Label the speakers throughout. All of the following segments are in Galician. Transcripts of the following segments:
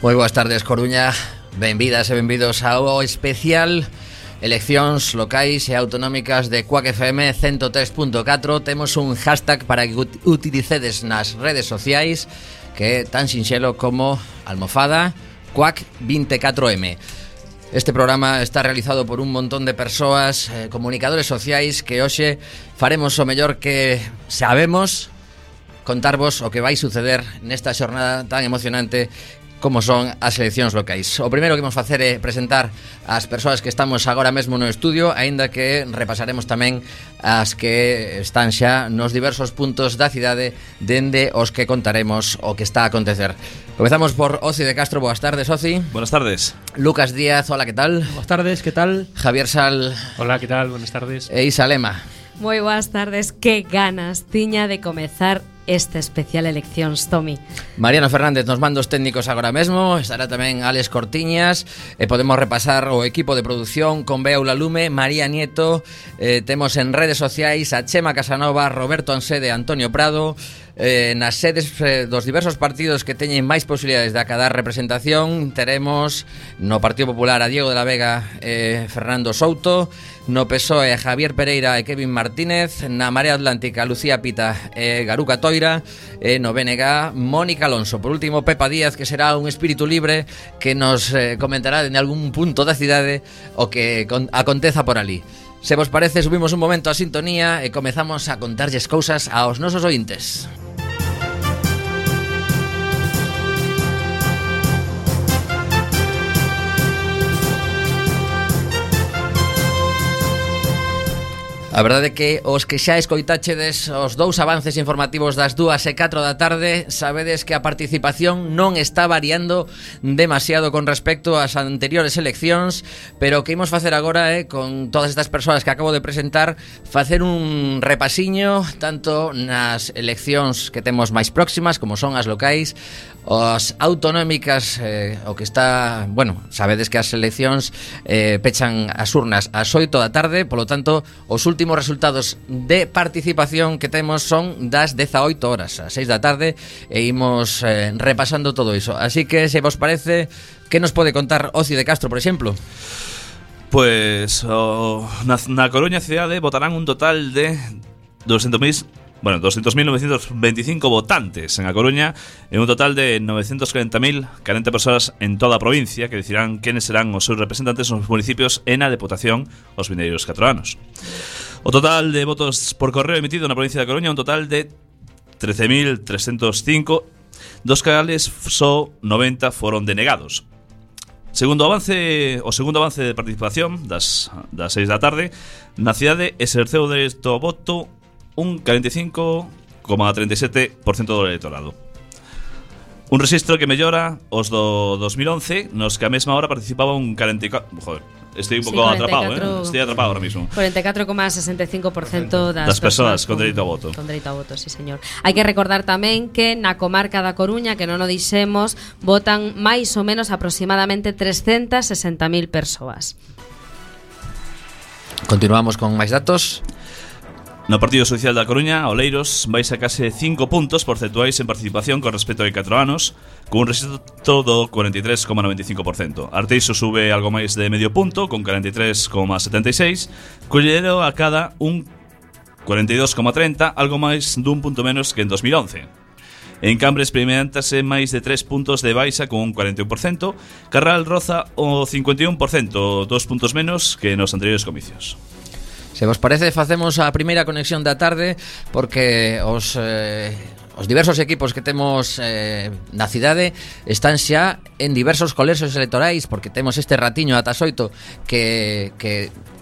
Speaker 1: Moi boas tardes, Coruña. Benvidas e benvidos ao especial Eleccións locais e autonómicas de Quack FM 103.4. Temos un hashtag para que utilicedes nas redes sociais que é tan sinxelo como almofada Quack24M. Este programa está realizado por un montón de persoas, comunicadores sociais, que hoxe faremos o mellor que sabemos, contarvos o que vai suceder nesta xornada tan emocionante como son as eleccións locais. O primeiro que vamos facer é presentar as persoas que estamos agora mesmo no estudio, aínda que repasaremos tamén as que están xa nos diversos puntos da cidade dende os que contaremos o que está a acontecer. Comezamos por Oci de Castro. Boas tardes, Oci.
Speaker 2: Buenas tardes.
Speaker 1: Lucas Díaz, hola, ¿qué tal?
Speaker 3: Buenas tardes, ¿qué tal?
Speaker 1: Javier Sal.
Speaker 3: Hola, ¿qué tal? Buenas tardes.
Speaker 1: E Isa Lema.
Speaker 4: Moi boas tardes, que ganas tiña de comezar esta especial eleccións, Tomi.
Speaker 1: Mariano Fernández nos mandos técnicos agora mesmo. Estará tamén Alex Cortiñas. Podemos repasar o equipo de producción con Bea Lume, María Nieto. Temos en redes sociais a Chema Casanova, Roberto Ansede, Antonio Prado. Nas sedes dos diversos partidos que teñen máis posibilidades de acadar representación, teremos no Partido Popular a Diego de la Vega e Fernando Souto, no PSOE a Javier Pereira e Kevin Martínez, na Marea Atlántica Lucía Pita e Garuca Toira, e no BNG Mónica Alonso. Por último, Pepa Díaz, que será un espírito libre que nos comentará en algún punto da cidade o que aconteza por ali. Se vos parece, subimos un momento a sintonía e comezamos a contarlles cousas aos nosos ointes. A verdade é que os que xa escoitachedes os dous avances informativos das 2 e 4 da tarde, sabedes que a participación non está variando demasiado con respecto ás anteriores eleccións, pero o que imos facer agora é, con todas estas persoas que acabo de presentar, facer un repasiño tanto nas eleccións que temos máis próximas, como son as locais, as autonómicas, o que está, bueno, sabedes que as eleccións pechan as urnas ás 8 da tarde, polo tanto, os últimos resultados de participación que temos son das 18 horas, ás 6 da tarde, e imos repasando todo iso. Así que, se vos parece, que nos pode contar Oci de Castro, por exemplo?
Speaker 2: Pues na Coruña cidade votarán un total de 200.925 votantes en A Coruña, en un total de 940.040 persoas en toda a provincia, que decidirán quenes serán os seus representantes nos municipios e na Deputación os vindeiros 4 anos. O total de votos por correo emitido na provincia da Coruña, un total de 13.305, dos cales só 90 foron denegados. O segundo avance de participación das 6 da tarde, na cidade exerceu o dereito ao voto un 45,37% do electorado. Un rexistro que mellora os do 2011, nos que a mesma hora participaba un 44... Joder, estoy un pouco atrapado, Estoy atrapado ahora mismo.
Speaker 4: 44,65%
Speaker 2: das persoas con dereito ao voto.
Speaker 4: Con dereito ao voto, sí, señor. Hai que recordar tamén que na comarca da Coruña, que non o dixemos, votan máis ou menos aproximadamente 360.000 persoas.
Speaker 1: Continuamos con máis datos.
Speaker 2: No Partido Social da Coruña, Oleiros vai sacarse 5 puntos porcentuais en participación con respecto a 4 anos, con un rexistro do 43,95%. Arteixo sube algo máis de medio punto, con 43,76%, Collero a cada un 42,30%, algo máis dun punto menos que en 2011. En Cambre experimentase máis de 3 puntos de baixa con un 41%, Carral roza o 51%, 2 puntos menos que nos anteriores comicios.
Speaker 1: Se vos parece, facemos a primeira conexión da tarde, porque os diversos equipos que temos na cidade están xa en diversos colexios electorais, porque temos este ratiño ata as 8 que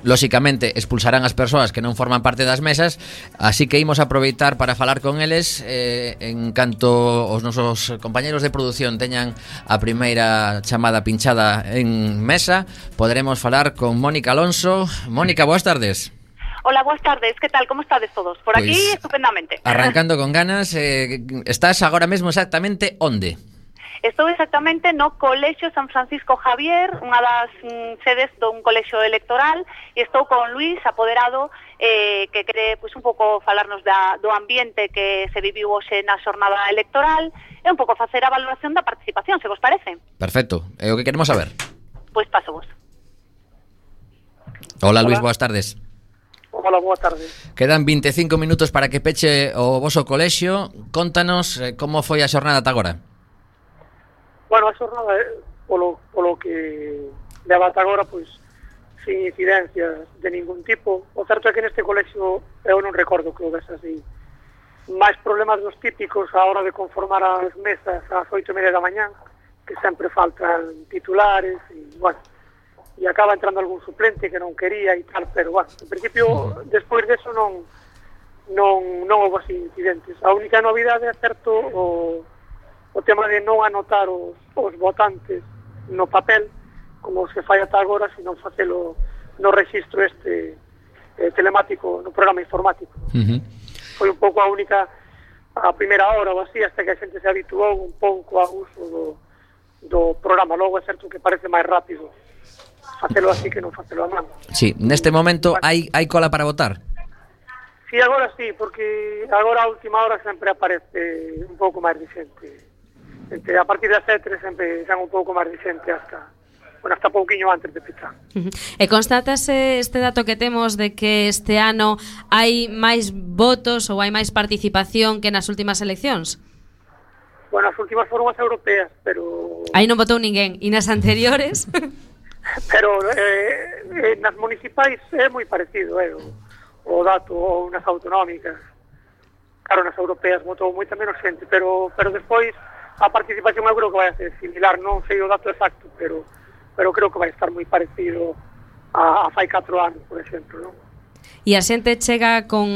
Speaker 1: lóxicamente expulsarán as persoas que non forman parte das mesas, así que imos aproveitar para falar con eles. En canto os nosos compañeros de produción teñan a primeira chamada pinchada en mesa, poderemos falar con Mónica Alonso. Mónica, boas tardes.
Speaker 5: Hola, buenas tardes, ¿qué tal? ¿Cómo estades todos? Por aquí, estupendamente.
Speaker 1: Arrancando con ganas, estás agora mesmo exactamente onde?
Speaker 5: Estou exactamente no Colexio San Francisco Javier, unha das sedes dun colexio electoral, e estou con Luis, apoderado, que quere pois, un pouco falarnos do ambiente que se viviu hoxe na xornada electoral e un pouco facer a valoración da participación, se vos parece.
Speaker 1: Perfecto, é o que queremos saber.
Speaker 5: Pois paso vos.
Speaker 1: Hola Luis, boas tardes.
Speaker 6: Hola, boa tarde.
Speaker 1: Quedan 25 minutos para que peche o voso colexio. Contanos como foi a xornada ata agora.
Speaker 6: Bueno, a xornada, polo que leva ata agora, pois, sin incidencias de ningún tipo. O certo é que neste colexio eu non recordo que o ves así. Máis problemas dos típicos a hora de conformar as mesas ás 8:30 da mañán, que sempre faltan titulares e, bueno, e acaba entrando algún suplente que non quería e tal, pero, bueno, en principio, despois deso non houve así incidentes. A única novidade é certo o tema de non anotar os votantes no papel, como se fai ata agora, sino facelo no rexistro telemático, no programa informático. Foi un pouco a primeira hora ou así, hasta que a xente se habituou un pouco ao uso do programa. Logo é certo que parece máis rápido facelo así que non facelo a mano. Sí,
Speaker 1: neste momento hai cola para votar?
Speaker 6: Sí, agora sí, porque agora a última hora sempre aparece un pouco máis de xente. A partir das 7 sempre xa un pouco máis de xente hasta pouquiño antes de pechar.
Speaker 4: E constatase este dato que temos de que este ano hai máis votos ou hai máis participación que nas últimas eleccións?
Speaker 6: Bueno, as últimas foron as europeas, pero...
Speaker 4: Aí non votou ninguén. E nas anteriores?
Speaker 6: Pero nas municipais é moi parecido o dato, ou nas autonómicas. Claro, nas europeas votou moita menos xente, pero despois a participación eu creo que vai a ser similar. Non sei o dato exacto, pero creo que vai estar moi parecido a fai 4 anos, por exemplo, non?
Speaker 4: E a xente chega con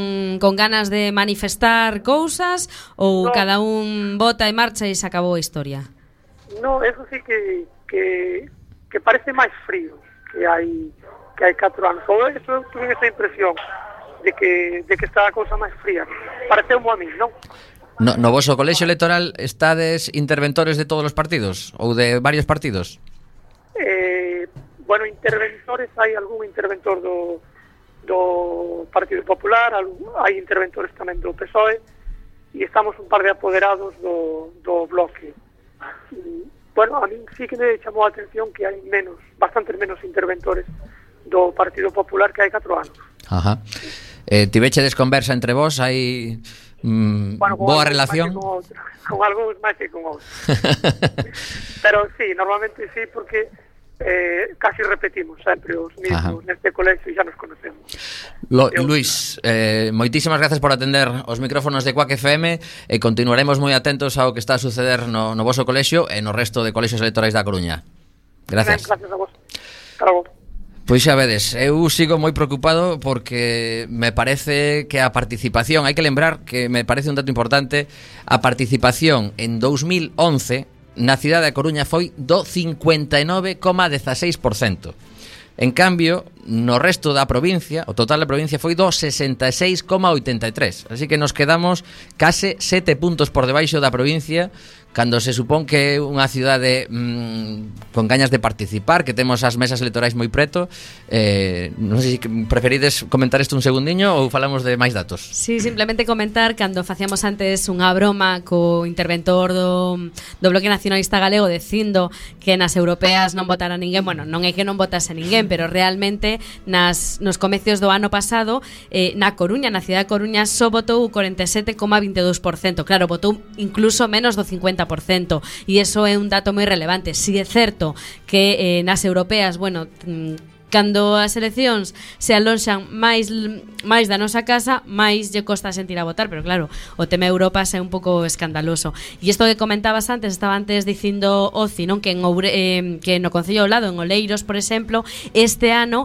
Speaker 4: ganas de manifestar cousas ou cada un vota e marcha e se acabou a historia?
Speaker 6: No, eso sí que parece máis frío que hai 4 anos. Ou eso eu tuve esa impresión de que está a cousa máis fría. Pareceu-mo a mí, non?
Speaker 1: No voso colexio electoral estades interventores de todos os partidos ou de varios partidos?
Speaker 6: Bueno, interventores, hai algún interventor do Partido Popular, hai interventores tamén do PSOE e estamos un par de apoderados do Bloque. Bueno, a mí sí que me chamou a atención que hai bastantes menos interventores do Partido Popular que hai 4 anos.
Speaker 1: Ajá. Tivechedes conversa entre vós, hai boa relación?
Speaker 6: Con algúns máis que con outros. Pero sí, normalmente sí, porque casi repetimos sempre os mismos neste colexio e xa nos conocemos.
Speaker 1: Luis, moitísimas gracias por atender os micrófonos de Quack FM e continuaremos moi atentos ao que está a suceder no voso colexio e no resto de colexios electorais da Coruña. Gracias.
Speaker 6: Gracias a vos. Hasta logo.
Speaker 1: Pois xa vedes, eu sigo moi preocupado porque me parece que a participación, hai que lembrar que me parece un dato importante, a participación en 2011 na cidade da Coruña foi do 59,16%. En cambio, no resto da provincia, o total da provincia foi do 66,83%. Así que nos quedamos case 7 puntos por debaixo da provincia, cando se supón que é unha cidade con gañas de participar, que temos as mesas electorais moi preto. Non sei se preferides comentar isto un segundiño ou falamos de máis datos.
Speaker 4: Sí, simplemente comentar cando facíamos antes unha broma co interventor do Bloque Nacionalista Galego dicindo que nas europeas non votara ninguén. Bueno, non é que non votase ninguén, pero realmente nos comecios do ano pasado na Coruña, na cidade de Coruña, só votou o 47,22%. Claro, votou incluso menos do 50%. E iso é un dato moi relevante. Si é certo que nas europeas, bueno, cando as eleccións se alonxan máis da nosa casa, máis lle costa sentir a votar, pero claro, o tema Europa é un pouco escandaloso. E isto que comentabas antes, estaba antes dicindo Oci, non, que no Concello ao lado, en Oleiros, por exemplo, este ano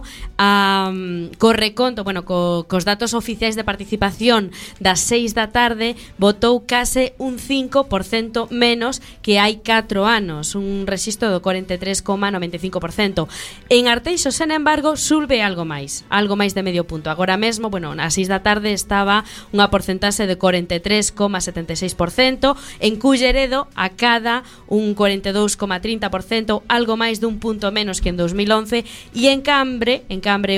Speaker 4: co reconto, bueno, cos datos oficiais de participación das 6 da tarde, votou case un 5% menos que hai 4 anos, un rexistro do 43,95%. En Arteixo, embargo, sube algo máis de medio punto. Agora mesmo, ás 6 da tarde estaba unha porcentaxe de 43,76%, en Culleredo acada un 42,30%, algo máis dun punto menos que en 2011, e en Cambre,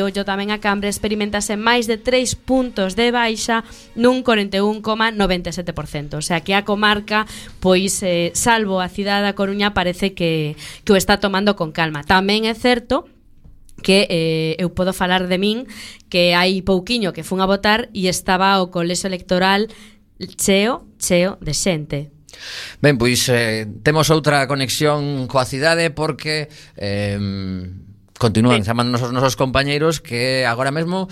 Speaker 4: ollo tamén a Cambre, experimentase máis de 3 puntos de baixa nun 41,97%. O sea que a comarca, pois, salvo a cidade da Coruña, parece que o está tomando con calma. Tamén é certo que eu podo falar de min, que hai pouquiño que fun a votar e estaba o colexio electoral cheo de xente.
Speaker 1: Ben, pois temos outra conexión coa cidade porque continúan chamándonos os nosos compañeiros que agora mesmo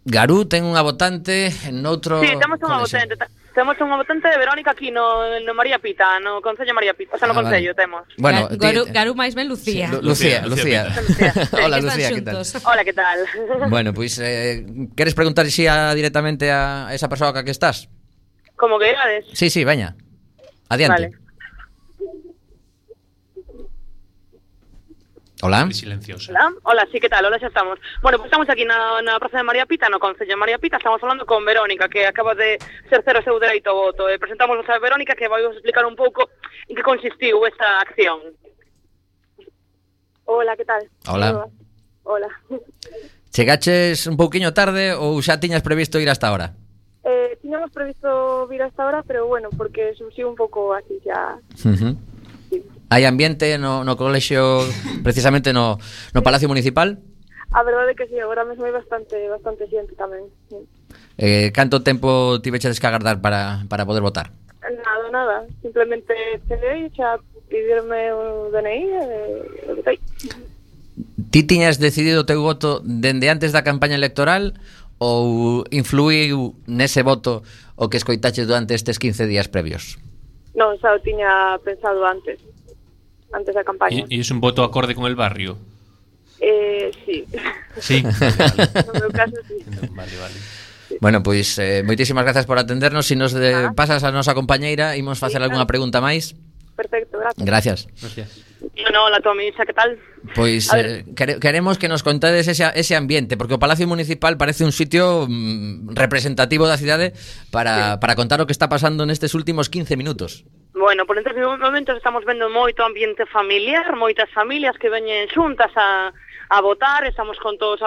Speaker 1: Garú ten unha votante noutro...
Speaker 7: Sí, temos unha votante. Temos unha votante de Verónica aquí no María Pita, no Concello María Pita. O sea, no Concello temos.
Speaker 1: Bueno,
Speaker 4: Garú máis ben Lucía.
Speaker 1: Sí, Lucía. Hola, Lucía, que tal?
Speaker 7: Hola, que tal?
Speaker 1: Bueno, pois queres preguntar directamente a esa persoa que estás?
Speaker 7: Como que irades?
Speaker 1: Sí, veña. Adiante.
Speaker 7: Vale.
Speaker 1: Hola.
Speaker 3: Silenciosa.
Speaker 7: Hola, sí, que tal? Hola, xa estamos. Bueno, pues estamos aquí na Praza de María Pita, no Concello de María Pita. Estamos falando con Verónica, que acaba de exercer o seu dereito ao voto. Presentamos a Verónica, que vai vos explicar un pouco en que consistiu esta acción. Hola, que tal?
Speaker 1: Hola.
Speaker 7: Hola.
Speaker 1: Chegaches un pouquiño tarde ou xa tiñas previsto ir hasta ahora?
Speaker 8: Tiñamos previsto vir hasta ahora, pero bueno, porque surxiu un pouco así xa...
Speaker 1: Hai ambiente no colexio, precisamente no Palacio Municipal?
Speaker 8: A verdade é que sí, agora mesmo hai bastante xente tamén.
Speaker 1: Canto tempo tiveches que agardar para poder votar?
Speaker 8: Nada, simplemente cheguei, xa pidirme o DNI e votei.
Speaker 1: Ti tiñas decidido o teu voto dende antes da campaña electoral ou influiu nese voto o que escoitaches durante estes 15 días previos?
Speaker 8: Non, xa o tiña pensado antes da campaña.
Speaker 3: ¿Y es un voto acorde con el barrio?
Speaker 8: Sí.
Speaker 3: Sí.
Speaker 8: No meu caso, sí.
Speaker 3: Vale.
Speaker 8: Sí.
Speaker 1: Bueno, pois moitísimas grazas por atendernos. Se nos pasas a nosa compañeira, imos facer algunha pregunta máis.
Speaker 8: Perfecto, gracias.
Speaker 3: Gracias.
Speaker 7: No, la Tomisa, que tal?
Speaker 1: Pois queremos que nos contades ese ambiente, porque o Palacio Municipal parece un sitio representativo da cidade para contar o que está pasando nestes últimos 15 minutos.
Speaker 7: Bueno, por estes momentos estamos vendo moito ambiente familiar, moitas familias que veñen xuntas a votar, estamos con todos,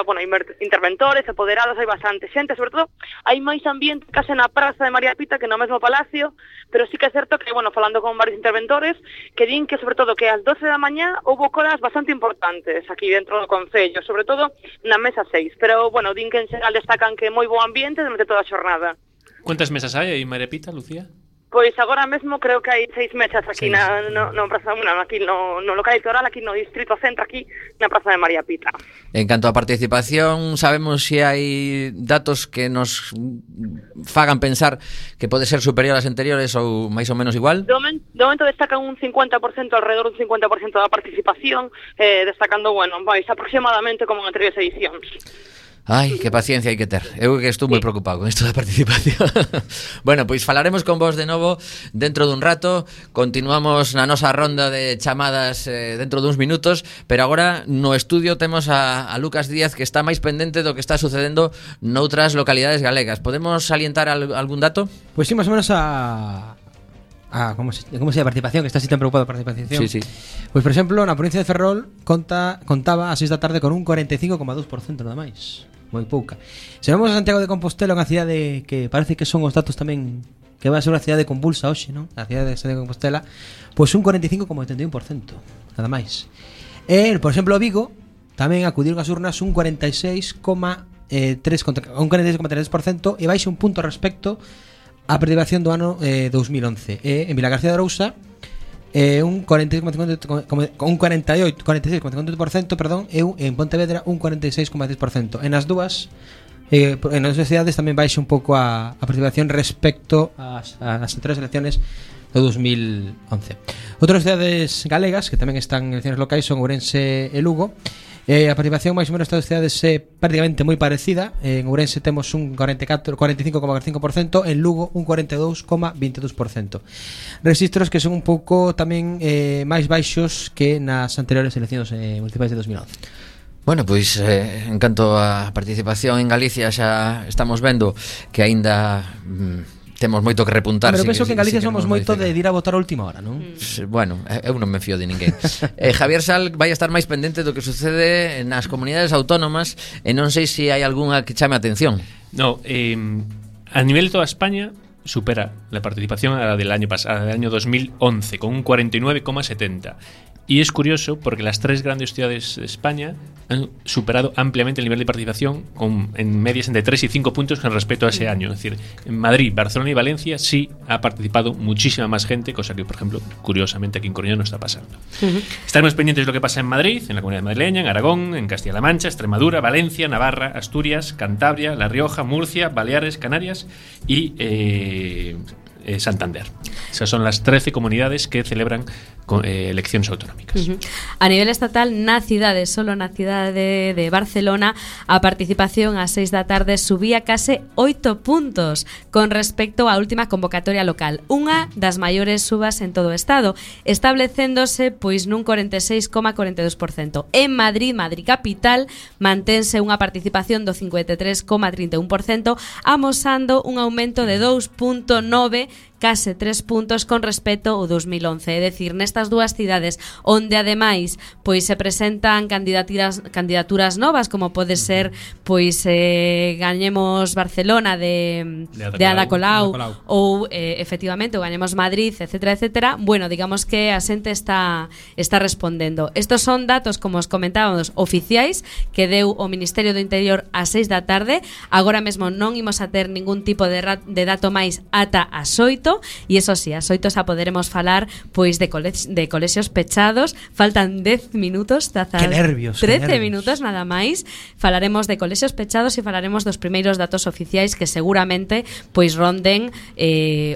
Speaker 7: interventores, apoderados, hai bastante xente, sobre todo hai máis ambiente case na Praza de María Pita que no mesmo Palacio, pero sí que é certo que, falando con varios interventores, que din que, sobre todo, que ás 12 da mañá houve colas bastante importantes aquí dentro do Concello, sobre todo na mesa 6, pero, din que en xeral destacan que é moi bo ambiente durante toda a xornada.
Speaker 3: ¿Cuántas mesas hay en María Pita, Lucía?
Speaker 7: Pois agora mesmo creo que hai 6 mesas aquí no Praza, aquí no local electoral, aquí no Distrito Centro, aquí na Praza de María Pita.
Speaker 1: En canto a participación, sabemos se hai datos que nos fagan pensar que pode ser superior ás anteriores ou máis ou menos igual?
Speaker 7: De momento destacan un 50%, alrededor dun 50% da participación, destacando, máis aproximadamente como en anteriores edicións.
Speaker 1: Ai, que paciencia hai que ter. Eu que estou moi preocupado con isto da participación. Bueno, pois falaremos con vos de novo dentro dun rato. Continuamos na nosa ronda de chamadas dentro duns minutos, pero agora no estudio temos a Lucas Díaz, que está máis pendente do que está sucedendo noutras localidades galegas. Podemos salientar algún dato?
Speaker 9: Pois sí, máis ou menos ¿cómo se llama? Participación, que está así tan preocupado por participación.
Speaker 1: Sí.
Speaker 9: Pois, por exemplo, na provincia de Ferrol contaba a 6 da tarde con un 45,2% nada máis. Moi pouca. Se vamos a Santiago de Compostela, unha cidade que parece que son os datos tamén que vai a ser unha cidade convulsa hoxe, non? A cidade de Santiago de Compostela, pois un 45,81%, nada máis. E, por exemplo, Vigo tamén acudiron as urnas un 46,3% e baixa un punto respecto á participación do ano 2011. E en Vilagarcía de Arousa un 46,58%, perdón, e en Pontevedra un 46,10%. En as dúas cidades tamén baixa un pouco a participación respecto ás anteriores elecciones do 2011. Outras cidades galegas que tamén están en eleccións locais son Ourense e Lugo, A participación máis ou menos estas cidades é prácticamente moi parecida. En Ourense temos un 45,5%, en Lugo un 42,22%. Registros que son un pouco tamén máis baixos que nas anteriores eleccións municipais de 2011.
Speaker 1: Bueno, pois en canto á participación en Galicia xa estamos vendo que aínda temos moito que repuntar.
Speaker 9: Pero penso que en Galicia somos moito de ir a votar a última hora, non?
Speaker 1: Bueno, eu non me fío de ninguén. Javier Sal vai a estar máis pendente do que sucede nas comunidades autónomas e non sei se hai algunha que chame a atención.
Speaker 3: No, a nivel de toda España supera la participación a la del año pasado, del año 2011, con un 49,70. Y es curioso porque las tres grandes ciudades de España han superado ampliamente el nivel de participación en medias entre 3 y 5 puntos con respecto a ese año. Es decir, en Madrid, Barcelona y Valencia sí ha participado muchísima más gente, cosa que, por ejemplo, curiosamente aquí en Coruña no está pasando. Estaremos pendientes de lo que pasa en Madrid, en la Comunidad Madrileña, en Aragón, en Castilla-La Mancha, Extremadura, Valencia, Navarra, Asturias, Cantabria, La Rioja, Murcia, Baleares, Canarias y Santander. Esas son las 13 comunidades que celebran eleccións autonómicas.
Speaker 4: A nivel estatal, na cidade, solo na cidade de Barcelona, a participación ás 6 da tarde subía case 8 puntos con respecto á última convocatoria local, unha das maiores subas en todo o estado, establecéndose pois nun 46,42%. En Madrid capital, mantense unha participación do 53,31%, amosando un aumento de 2,9, case 3 puntos con respecto ao 2011. É dicir, nestas dúas cidades onde ademais pois se presentan candidaturas novas, como pode ser pois Gañemos Barcelona de Ada Colau ou efectivamente o Gañemos Madrid, etcétera, etcétera. Bueno, digamos que a xente está respondendo. Estos son datos, como os comentábamos, oficiais que deu o Ministerio do Interior ás 6 da tarde. Agora mesmo non imos a ter ningún tipo de dato máis ata as 8. E iso sí, as 8 xa poderemos falar pois de colexios pechados. Faltan 10 minutos,
Speaker 9: que nervios,
Speaker 4: 13 minutos nada máis. Falaremos de colexios pechados e falaremos dos primeiros datos oficiais que seguramente pois ronden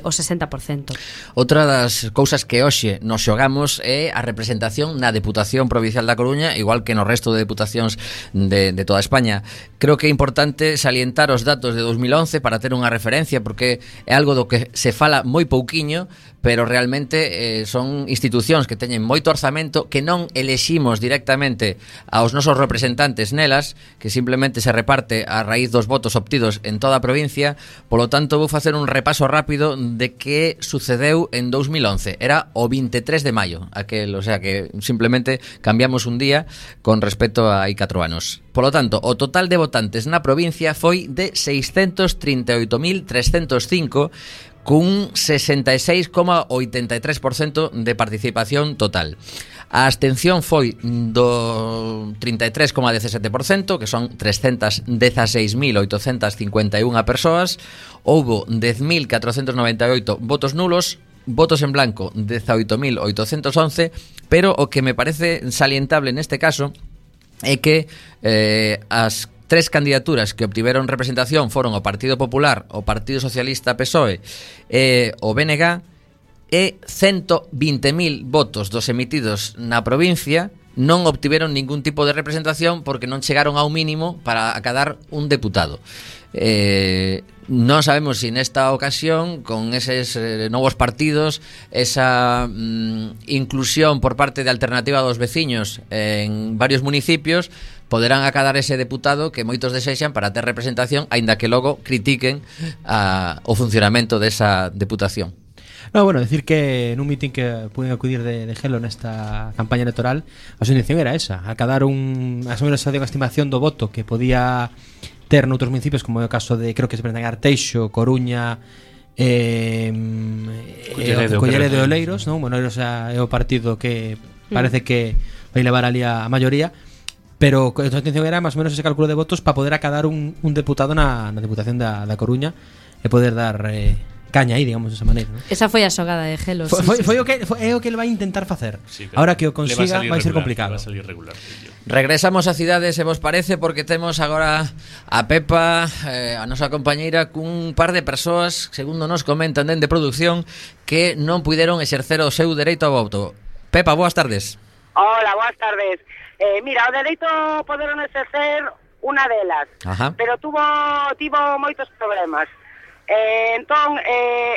Speaker 4: o 60%.
Speaker 1: Outra das cousas que hoxe nos xogamos é a representación na Deputación Provincial da Coruña, igual que no resto de deputacións de toda España. Creo que é importante salientar os datos de 2011 para ter unha referencia, porque é algo do que se fala moi pouquiño, pero realmente son institucións que teñen moito orzamento, que non eleximos directamente aos nosos representantes nelas, que simplemente se reparte a raíz dos votos obtidos en toda a provincia. Polo tanto, vou facer un repaso rápido de que sucedeu en 2011. Era o 23 de maio, o sea que simplemente cambiamos un día con respecto a hai 4 anos. Polo tanto, o total de votantes na provincia foi de 638.305, cun 66,83% de participación total. A abstención foi do 33,17%, que son 316.851 persoas. Houbo 10.498 votos nulos, votos en blanco 18.811, pero o que me parece salientable neste caso é que as tres candidaturas que obtiveron representación foron o Partido Popular, o Partido Socialista PSOE e o BNG, e 120.000 votos dos emitidos na provincia non obtiveron ningún tipo de representación porque non chegaron ao mínimo para acadar un deputado. Non sabemos se nesta ocasión, con eses novos partidos, esa inclusión por parte de Alternativa dos Veciños en varios municipios, poderán acadar ese deputado que moitos desexan para ter representación, aínda que logo critiquen o funcionamento desa deputación.
Speaker 9: No, bueno, decir que nun mitin que puiden acudir de Gelo nesta campaña electoral, a súa intención era esa, acadar a súa estimación do voto que podía ter noutros municipios, como é o caso de, creo que se presentan Arteixo, Coruña, Collere de Oleiros, non? Bueno, Oleiros é o partido que parece que vai levar ali a maioría, pero a súa intención era máis ou menos ese cálculo de votos para poder acadar un deputado na Deputación da Coruña e poder dar caña aí, digamos, desa maneira, ¿no?
Speaker 4: Esa foi a xogada de Gelo.
Speaker 9: Foi o que ele vai intentar facer.
Speaker 2: Sí,
Speaker 9: ahora que o consiga vai ser complicado.
Speaker 1: Regresamos a cidades, se vos parece, porque temos agora a Pepa, a nosa compañeira, cun par de persoas, segundo nos comentan dende producción, que non puideron exercer o seu dereito ao voto. Pepa, boas tardes.
Speaker 10: Hola, boas tardes. Mira, o dereito a poder exercer unha delas, pero tivo moitos problemas. Entón,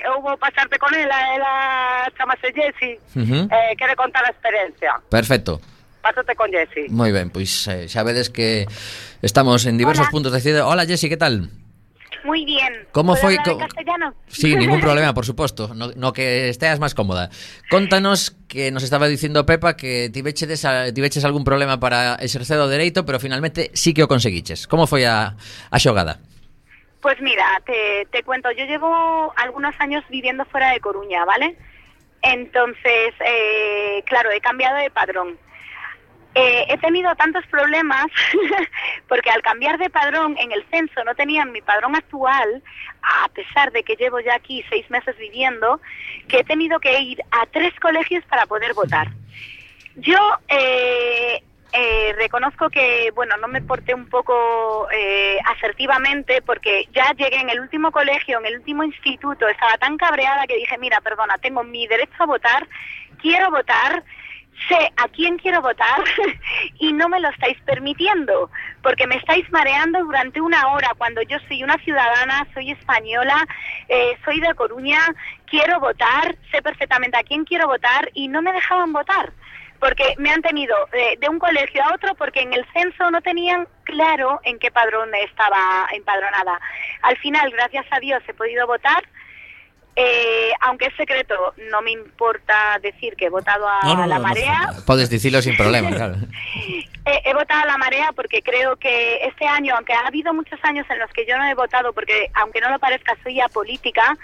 Speaker 10: eu vou pasarte con ela chamase Jessie, quere contar a experiencia.
Speaker 1: Perfecto.
Speaker 10: Pásate con Jessie.
Speaker 1: Moi ben, pois xa vedes que estamos en diversos puntos de ciudad. Hola, Jessie, que tal?
Speaker 11: Muy bien.
Speaker 1: ¿Cómo fue?
Speaker 11: ¿Puedo hablar en castellano?
Speaker 1: Sí, ningún problema, por supuesto. No que estés más cómoda. Contanos que nos estaba dicindo Pepa que tiveches algún problema para exercer o dereito, pero finalmente sí que o conseguiches. Como foi a xogada?
Speaker 11: Pues mira, te cuento. Yo llevo algunos años viviendo fuera de Coruña, ¿vale? Entonces, claro, he cambiado de padrón. He tenido tantos problemas porque al cambiar de padrón en el censo no tenían mi padrón actual, a pesar de que llevo ya aquí 6 meses viviendo, que he tenido que ir a 3 colegios para poder votar. Yo reconozco que, bueno, no me porté un poco asertivamente porque ya llegué en el último colegio, en el último instituto, estaba tan cabreada que dije, mira, perdona, tengo mi derecho a votar, quiero votar, sé a quién quiero votar y no me lo estáis permitiendo porque me estáis mareando durante 1 hora cuando yo soy una ciudadana, soy española, soy de Coruña, quiero votar, sé perfectamente a quién quiero votar y no me dejaban votar porque me han tenido de un colegio a otro porque en el censo no tenían claro en qué padrón estaba empadronada. Al final, gracias a Dios, he podido votar. Aunque es secreto, no me importa decir que he votado a la marea.
Speaker 1: Puedes decirlo sin problema, claro.
Speaker 11: He votado a la marea porque creo que este año, aunque ha habido muchos años en los que yo no he votado, porque aunque no lo parezca soy apolítica,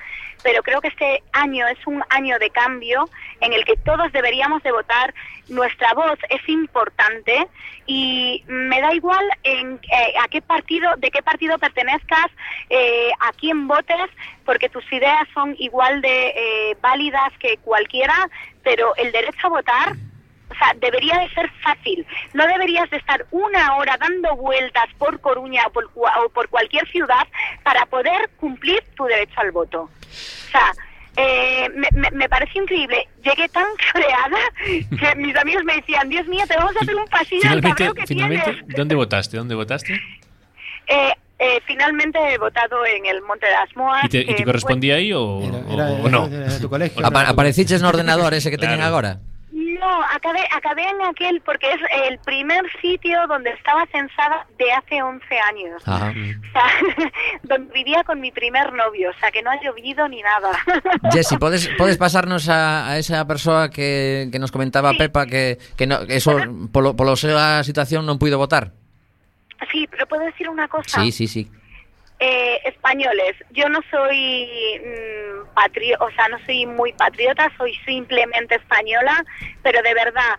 Speaker 11: pero creo que este año es un año de cambio en el que todos deberíamos de votar. Nuestra voz es importante y me da igual a qué partido, de qué partido pertenezcas, a quién votes, porque tus ideas son igual de válidas que cualquiera, pero el derecho a votar, o sea, debería de ser fácil. No deberías de estar 1 hora dando vueltas por Coruña o por cualquier ciudad para poder cumplir tu derecho al voto. O sea, me pareció increíble. Llegué tan cabreada que mis amigos me decían, Dios mío, te vamos a hacer un pasillo al cabreo que
Speaker 3: finalmente,
Speaker 11: tienes.
Speaker 3: ¿Dónde votaste?
Speaker 11: Finalmente he votado en el Monte de las Moas.
Speaker 3: ¿Y te correspondía ahí o no?
Speaker 9: Era tu colegio.
Speaker 1: Apareciches no ordenador ese que teñen agora?
Speaker 11: No, acabé en aquel porque es el primer sitio donde estaba censada de hace 11 años.
Speaker 1: Ajá.
Speaker 11: O sea, donde vivía con mi primer novio, o sea, que no ha llovido ni nada.
Speaker 1: Jessie, podes pasarnos a esa persoa que nos comentaba Pepa que no, eso polo sea situación non puido votar?
Speaker 11: Sí, pero puedo decir una cosa.
Speaker 1: Sí.
Speaker 11: Españoles, yo no soy no soy muy patriota, soy simplemente española, pero de verdad,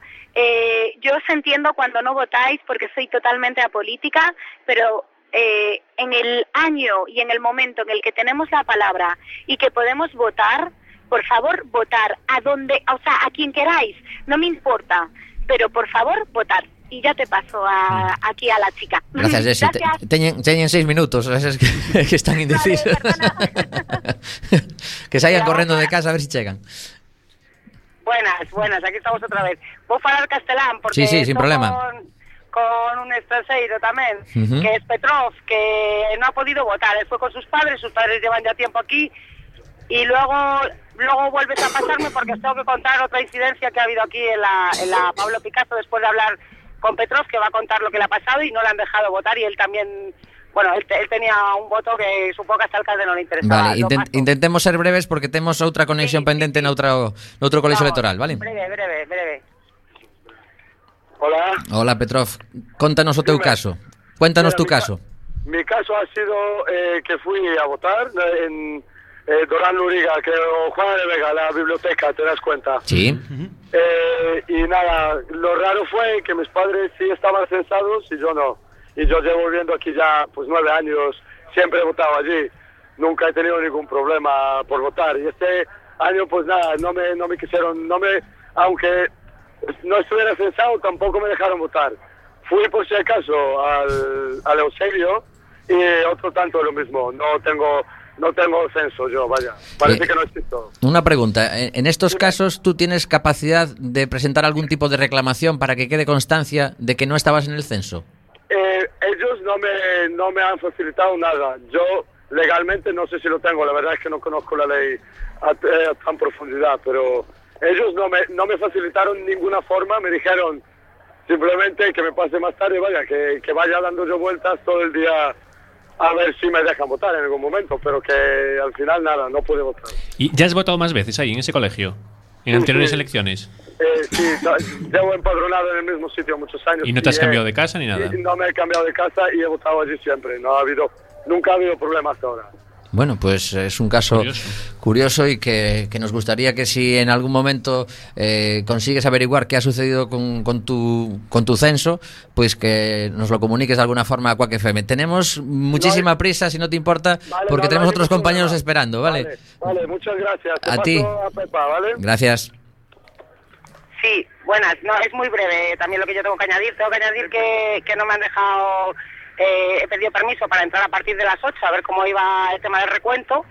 Speaker 11: yo os entiendo cuando no votáis porque soy totalmente apolítica, pero en el año y en el momento en el que tenemos la palabra y que podemos votar, por favor, votar a quien queráis, no me importa, pero por favor, votar. Y ya te paso aquí a la chica.
Speaker 1: Gracias, Jessie. Teñen 6 minutos, es que están indecisos. Vale, que salgan correndo de casa a ver si chegan.
Speaker 10: Buenas, aquí estamos otra vez. Vou falar castelán porque
Speaker 1: sí, sin problema.
Speaker 10: Con un extranjero también, que es Petrov, que no ha podido votar. Él fue con sus padres llevan ya tiempo aquí y luego vuelves a pasarme porque os tengo que contar otra incidencia que ha habido aquí en la Pablo Picasso después de hablar con Petrov, que va a contar lo que le ha pasado y no le han dejado votar y él también, bueno, él tenía un voto que supongo que hasta el alcalde no le interesaba.
Speaker 1: Vale, intentemos ser breves porque temos outra conexión pendente noutro colegio electoral, vale?
Speaker 10: Breve.
Speaker 12: Hola,
Speaker 1: Petrov, contanos o teu caso. Cuéntanos tu caso.
Speaker 12: Mi caso ha sido que fui a votar en Dorán Luriga, que Juan de Vega, la biblioteca, ¿te das cuenta?
Speaker 1: Sí.
Speaker 12: Y nada, lo raro fue que mis padres sí estaban censados y yo no. Y yo llevo viviendo aquí ya pues 9 años, siempre he votado allí, nunca he tenido ningún problema por votar. Y este año pues nada, no me quisieron, aunque no estuviera censado tampoco me dejaron votar. Fui por si acaso al Eusebio y otro tanto lo mismo, no tengo no tengo censo yo, vaya. Parece que no existo.
Speaker 1: Una pregunta, en estos casos tú tienes capacidad de presentar algún tipo de reclamación para que quede constancia de que no estabas en el censo.
Speaker 12: Ellos no me han facilitado nada. Yo legalmente no sé si lo tengo, la verdad es que no conozco la ley a tan profundidad, pero ellos no me facilitaron ninguna forma, me dijeron simplemente que me pase más tarde, vaya, que vaya dando yo vueltas todo el día a ver si me dejan votar en algún momento, pero que al final nada, no pude votar.
Speaker 3: ¿Y ya has votado más veces ahí, en ese colegio? ¿En anteriores elecciones?
Speaker 12: Sí, llevo empadronado en el mismo sitio muchos años.
Speaker 3: ¿Y no te has cambiado de casa ni nada?
Speaker 12: No me he cambiado de casa y he votado allí siempre. Nunca ha habido problemas hasta ahora.
Speaker 1: Bueno, pues es un caso curioso y que nos gustaría que si en algún momento consigues averiguar qué ha sucedido con tu censo, pues que nos lo comuniques de alguna forma a Quack FM. Tenemos muchísima prisa, si no te importa, porque tenemos otros compañeros esperando, ¿vale?
Speaker 12: Vale, muchas gracias.
Speaker 1: A ti.
Speaker 12: A Pepa, ¿vale?
Speaker 1: Gracias.
Speaker 10: Sí, buenas. No, es muy breve también lo que yo tengo que añadir. Tengo que añadir que no me han dejado... he pedido permiso para entrar a partir de las 8 a ver cómo iba el tema del recuento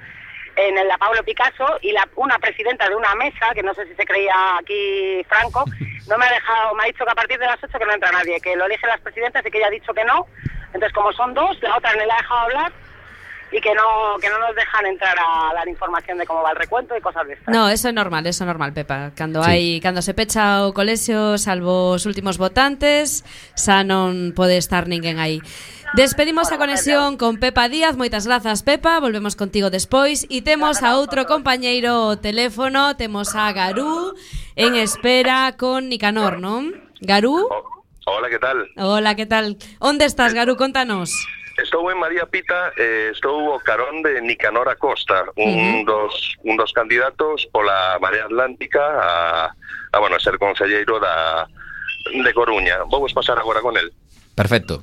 Speaker 10: en la Pablo Picasso, y una presidenta de una mesa, que no sé si se creía aquí Franco, no me ha dejado, me ha dicho que a partir de las 8 que no entra nadie, que lo eligen las presidentas y que ella ha dicho que no. Entonces, como son dos, la otra no la ha dejado hablar y que no nos dejan entrar a dar información de cómo va el recuento y cosas de estas.
Speaker 4: No, eso é normal, Pepa. Cando se pecha o colexio, salvo os últimos votantes, xa non pode estar ninguén aí. Despedimos a conexión con Pepa Díaz. Moitas grazas, Pepa. Volvemos contigo despois. E temos a outro compañeiro ao teléfono. Temos a Garú en espera con Nicanor, non? Garú?
Speaker 13: Hola, que tal?
Speaker 4: Hola, que tal? Onde estás, Garú? Contanos.
Speaker 13: Estou en María Pita, estou ao carón de Nicanor Acosta, un dos candidatos pola Marea Atlántica a ser conselleiro de Coruña. Vamos pasar agora con el.
Speaker 1: Perfecto.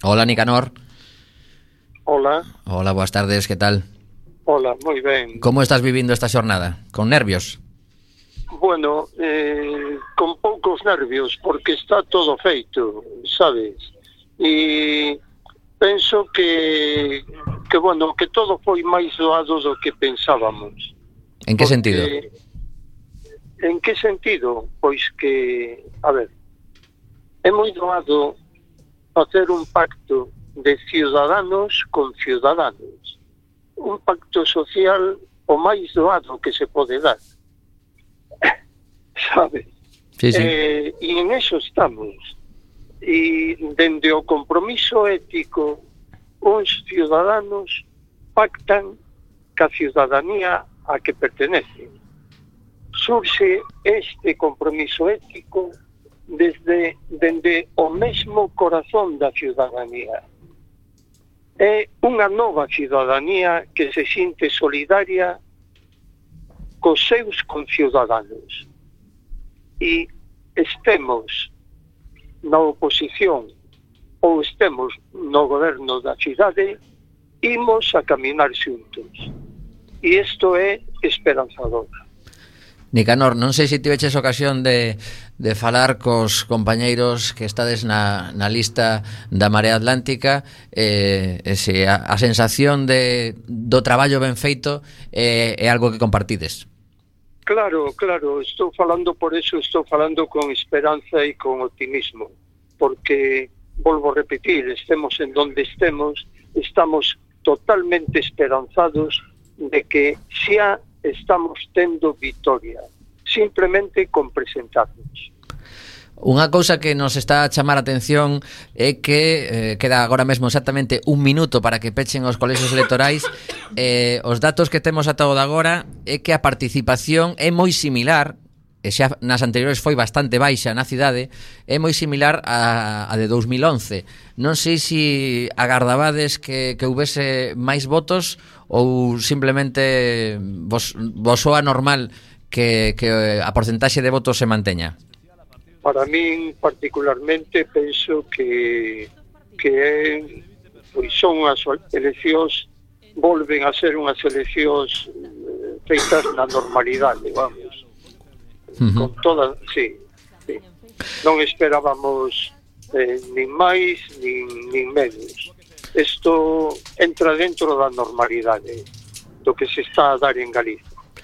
Speaker 1: Hola, Nicanor.
Speaker 14: Hola.
Speaker 1: Hola, boas tardes, que tal?
Speaker 14: Hola, moi ben.
Speaker 1: Como estás vivindo esta xornada? Con nervios?
Speaker 14: Bueno, con poucos nervios, porque está todo feito, sabes? E penso que todo foi máis doado do que pensábamos.
Speaker 1: En que sentido?
Speaker 14: En que sentido? Pois que, a ver, é moi doado facer un pacto de ciudadanos con ciudadanos, un pacto social o máis doado que se pode dar, sabes?
Speaker 1: Sí, sí.
Speaker 14: E en eso estamos. E dende o compromiso ético, os ciudadanos pactan ca ciudadanía a que pertenecen. Surxe este compromiso ético dende o mesmo corazón da ciudadanía. É unha nova ciudadanía que se sinte solidaria cos seus conciudadanos. E estemos na oposición ou estemos no goberno da cidade, imos a caminar xuntos. E isto é esperanzador.
Speaker 1: Nicanor, non sei se tiveches ocasión de falar cos compañeiros que estades na lista da Marea Atlántica, se a sensación do traballo ben feito é algo que compartides.
Speaker 14: Claro, estou falando por eso, estou falando con esperanza e con optimismo, porque, volvo a repetir, estemos en donde estemos, estamos totalmente esperanzados de que xa estamos tendo victoria, simplemente con presentarnos.
Speaker 1: Unha cousa que nos está a chamar a atención é que queda agora mesmo exactamente un minuto para que pechen os colexios electorais. Os datos que temos ata o de agora é que a participación é moi similar, e xa nas anteriores foi bastante baixa na cidade, é moi similar a de 2011. Non sei se agardabades que houvese máis votos ou simplemente vos soa normal que a porcentaxe de votos se manteña.
Speaker 14: Para min, particularmente, penso que pois son as eleccións, volven a ser unhas eleccións feitas na normalidade, vamos. Con toda, sí. Non esperábamos nin máis nin menos. isto entra dentro da normalidade do que se está a dar en Galicia.